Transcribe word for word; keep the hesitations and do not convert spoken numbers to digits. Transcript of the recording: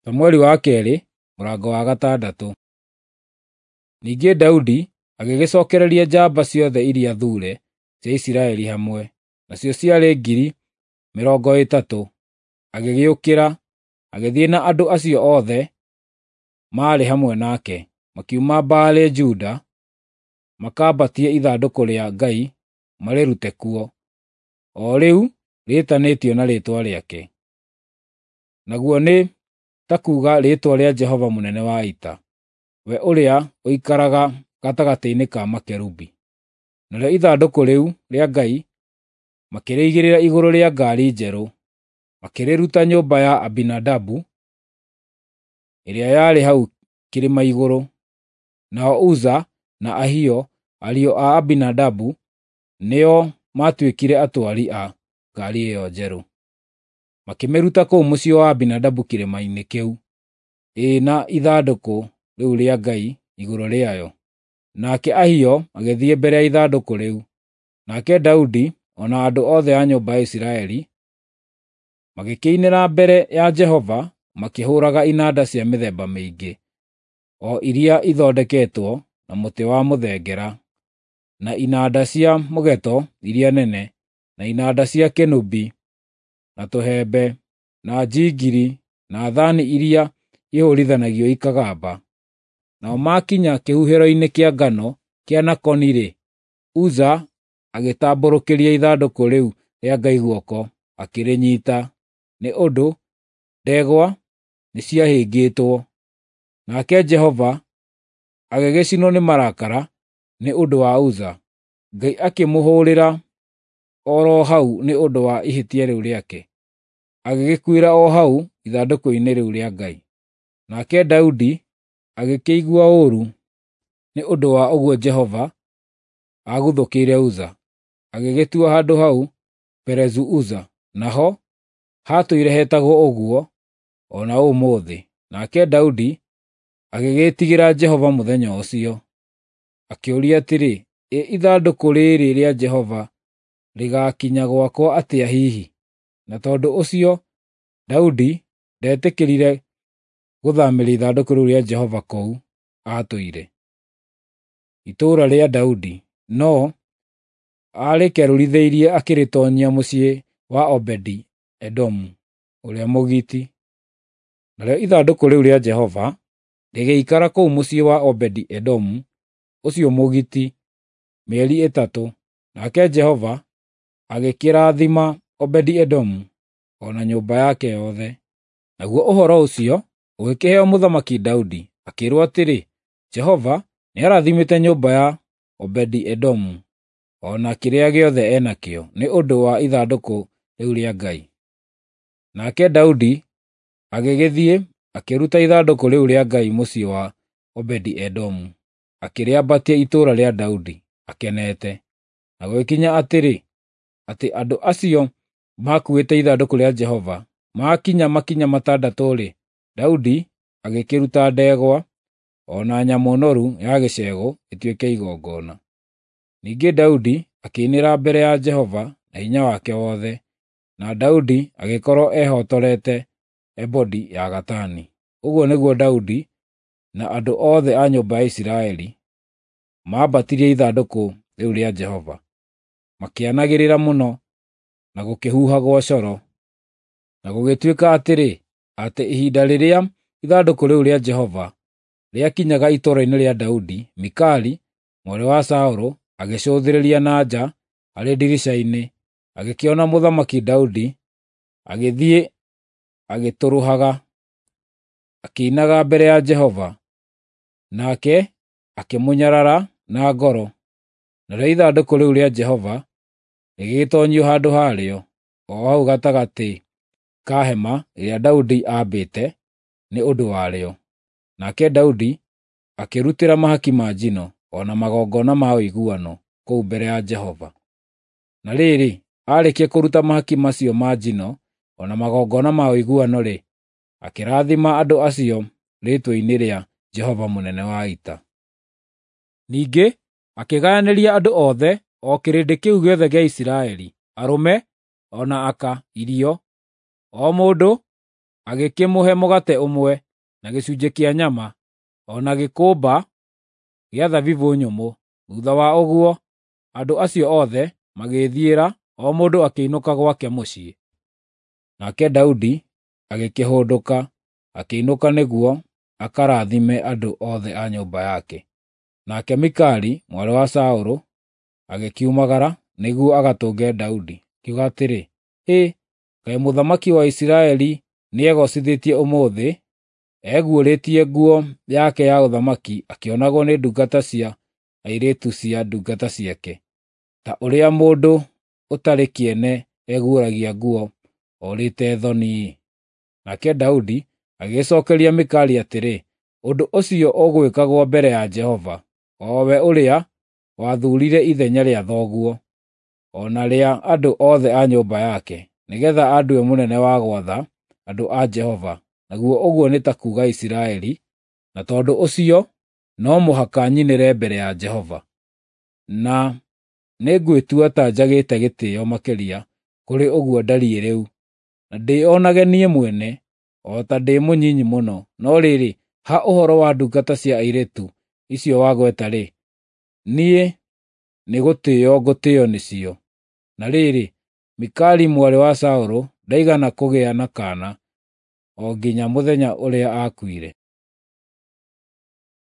Samueli wa kerĩ mũrango wa gatandatũ. Ningĩ Daudi agĩgĩcokereria njamba ciothe iria thure cia Isiraeli hamwe, nacio ciarĩ ngiri mĩrongo ĩtatũ. Agĩgĩũkĩra, agĩthiĩ na andũ acio othe maarĩ hamwe nake, makiuma Baale-Juda makambatie ithandũkũ rĩa Ngai marĩrute kuo, o rĩu rĩĩtanĩtio na Rĩĩtwa rĩake, naguo nĩ ta kuuga rĩĩtwa rĩa Jehova mũnene wa ita, we ũrĩa ũikaraga gatagatĩ-inĩ ka makerubi. Narĩo ithandũkũ rĩu rĩa Ngai makĩrĩigĩrĩra igũrũ rĩa ngaari njerũ, makĩrĩruta nyũmba ya Abinadabu ĩrĩa yarĩ hau kĩrĩma igũrũ. Nao Uza na Ahio, ariũ a Abinadabu, nĩo maatuĩkire atwari a ngaari ĩyo njerũ. Makĩmĩruta kũu mũciĩ wa Abinadabu kĩrĩma-inĩ kĩu, ĩ na ithandũkũ rĩu rĩa Ngai igũrũ rĩayo. Nake Ahio agĩthiĩ mbere ya ithandũkũ rĩu. Nake Daudi o na andũ othe a nyũmba ya Isiraeli magĩkĩinĩra mbere ya Jehova makĩhũũraga inanda cia mĩthemba mĩingĩ, o iria ithondeketwo na mũtĩ wa mũthengera, na inanda cia mũgeeto iria nene, na inanda cia kĩnũbi, na tũhembe, na njingiri, na thaani iria ihũũrithanagio ikagamba. Nao maakinya kĩhuhĩro-inĩ kĩa ngano kĩa Nakoni-rĩ, Uza agĩtambũrũkĩria ithandũkũ rĩu rĩa Ngai guoko, akĩrĩnyiita, nĩ ũndũ ndegwa nĩciahĩngĩtwo. Nake Jehova agĩgĩcinwo nĩ marakara nĩ ũndũ wa Uza, Ngai akĩmũhũũrĩra o ro hau nĩ ũndũ wa ihĩtia rĩu rĩake, agĩgĩkuĩra o hau ithandũkũ-inĩ rĩu rĩa Ngai. Nake Daudi agĩkĩigua ũũru nĩ ũndũ wa ũguo Jehova aaguthũkĩire Uza, agĩgĩtua handũ hau Perezu-Uza, naho hatũire hetagwo ũguo o na ũmũthĩ. Nake Daudi agĩgĩĩtigĩra Jehova mũthenya ũcio, akĩũria atĩrĩ, “Ĩ ithandũkũ rĩĩrĩ rĩa Jehova rĩgaakinya gwakwa atĩa hihi?” Na tondũ ũcio Daudi ndetĩkĩrire gũthaamĩria ithandũkũ rĩu rĩa Jehova kũu aatũire, itũũra rĩa Daudi, no aarĩkerũrithĩirie akĩrĩtoonyia mũciĩ wa Obedi-Edomu ũrĩa Mũgiiti. Narĩo ithandũkũ rĩu rĩa Jehova rĩgĩikara kũu mũciĩ wa Obedi-Edomu ũcio Mũgiiti mĩeri ĩtatũ, nake Jehova agĩkĩrathima Obedi-Edomu o na nyũmba yake yothe. Naguo ũhoro ũcio ũgĩkĩheo Mũthamaki Daudi, akĩĩrwo atĩrĩ, “Jehova nĩarathimĩte nyũmba ya Obedi-Edomu o na kĩrĩa gĩothe e nakĩo nĩ ũndũ wa ithandũkũ rĩu rĩa Ngai.” Nake Daudi agĩgĩthiĩ akĩruta ithandũkũ rĩu rĩa Ngai mũciĩ wa Obedi-Edomu, akĩrĩambatia itũũra rĩa Daudi, akenete. Na gũgĩkinya atĩrĩ, atĩ andũ acio maakuuĩte ithandũkũ rĩa Jehova maakinya makinya matandatũ-rĩ, Daudi agĩkĩruta ndegwa o na nyamũ noru ya gĩcegũ ĩtuĩke igongona. Ningĩ Daudi akĩinĩra mbere ya Jehova na hinya wake wothe, na Daudi agĩkorwo ehotorete ebodi ya gatani. Ũguo nĩguo Daudi na andũ othe a nyũmba ya Isiraeli maambatirie ithandũkũ rĩu rĩa Jehova, makĩanagĩrĩra mũno na gũkĩhuhagwo coro. Na gũgĩtuĩka atĩrĩ, atĩ ihinda rĩrĩa ithandũkũ rĩu rĩa Jehova rĩakinyaga itũũra-inĩ rĩa Daudi, Mikali mwarĩ wa Saũlũ agĩcũthĩrĩria na nja arĩ ndirica-inĩ, agĩkĩona Mũthamaki Daudi agĩthiĩ agĩtũrũhaga, akĩinaga mbere ya Jehova, nake akĩmũnyarara na ngoro. Narĩo ithandũkũ rĩu rĩa Jehova rĩgĩgĩtoonyio handũ harĩo, o hau gatagatĩ ka hema ĩrĩa Daudi aambĩte nĩ ũndũ warĩo. Nake Daudi akĩrutĩra mahaki ma njino o na magongona ma ũiguano kũu mbere ya Jehova. Na rĩrĩ, aarĩkia kũruta mahaki macio ma njino o na magongona ma ũiguano-rĩ, akĩrathima andũ acio rĩĩtwa-inĩ rĩa Jehova mũnene wa ita. Ningĩ akĩgayanĩria andũ othe, o kĩrĩndĩ kĩu gĩothe gĩa Isiraeli, arũme o na aka, irio, o mũndũ Agĩkĩmũhe mũgate ũmwe, na gĩcunjĩ kĩa nyama, o na gĩkũmba gĩa thabibũ nyũmũ. Thuutha wa ũguo, andũ acio othe magĩĩthiĩra, o mũndũ akĩinũka gwake mũciĩ. Nake Daudi agĩkĩhũndũka, akĩinũka nĩguo akarathime andũ othe a nyũmba yake. Nake Mikali, mwarĩ wa Saũlũ, agĩkiumagara nĩguo agatũnge Daudi, akiuga atĩrĩ, “Hĩ, kaĩ mũthamaki wa Isiraeli nĩegoocithĩtie ũmũthĩ, eguũrĩtie nguo yake ya ũthamaki akĩonagwo nĩ ndungata cia airĩtu cia ndungata ciake, ta ũrĩa mũndũ ũtarĩ kĩene eguũragia nguo orĩte thoni-ĩ!” Nake Daudi agĩgĩcookeria Mikali atĩrĩ, “Ũndũ ũcio ũgwĩkagwo mbere ya Jehova, o we ũrĩa wathuurire ithenya rĩa thoguo, o na rĩa andũ othe a nyũmba yake, nĩgeetha andue mũnene wa gwatha andũ a Jehova, naguo ũguo nĩ ta kuuga Isiraeli, na tondũ ũcio no mũhaka nyinĩre mbere ya Jehova. Na nĩngwĩtua ta njagĩte gĩtĩĩo makĩria kũrĩ ũguo ndariĩ rĩu, na ndĩĩonage niĩ mwene o ta ndĩ mũnyinyi mũno. No rĩrĩ, ha ũhoro wa ndungata cia airĩtu icio wagweta-rĩ, niĩ nĩgũtĩĩo ngũtĩĩo nĩcio.” Na rĩrĩ, Mikali mwarĩ wa Saũlũ ndaigana kũgĩa na kaana o nginya mũthenya ũrĩa aakuire.